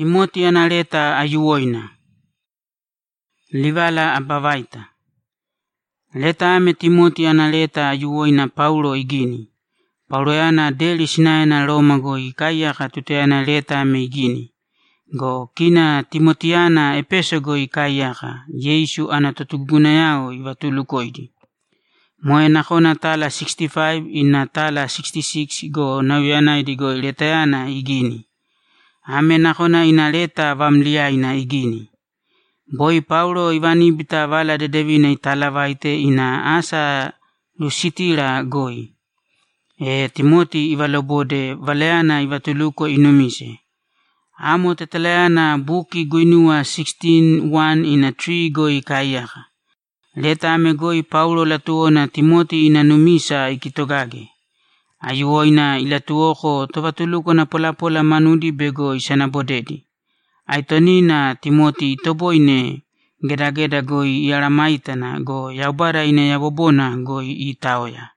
Timoti analeta ayuoina. Livala abavaita. Leta ame Timoti analeta ayuoina Paulo igini. Paulo yana deli sinaena Roma go ikayaka tuteana leta ame igini. Go kina Timotiana Epeso go ikayaka. Yesu anatotuguna yao ivatulukoidi. Moe nakona tala 65 ina tala 66 go nawiana go letayana igini. Ame nakona inaleta vamliaina igini. Boy Paulo ivani bita vala de devina italavaite ina asa lusitira goi. Timoti ivalobode valeana ivatuluko inumise. Amo teteleana buki guinua 16:1 ina 3 goi kayaka. Leta ame goi Paulo latuona Timoti ina numisa ikitogage. Ayuoina ilatuoko tovatuluko na pola manudi bego isana bodedi. Aitonina Timoti toboine geda goi iaramaitana go yaubara ina yabobona go itaoya.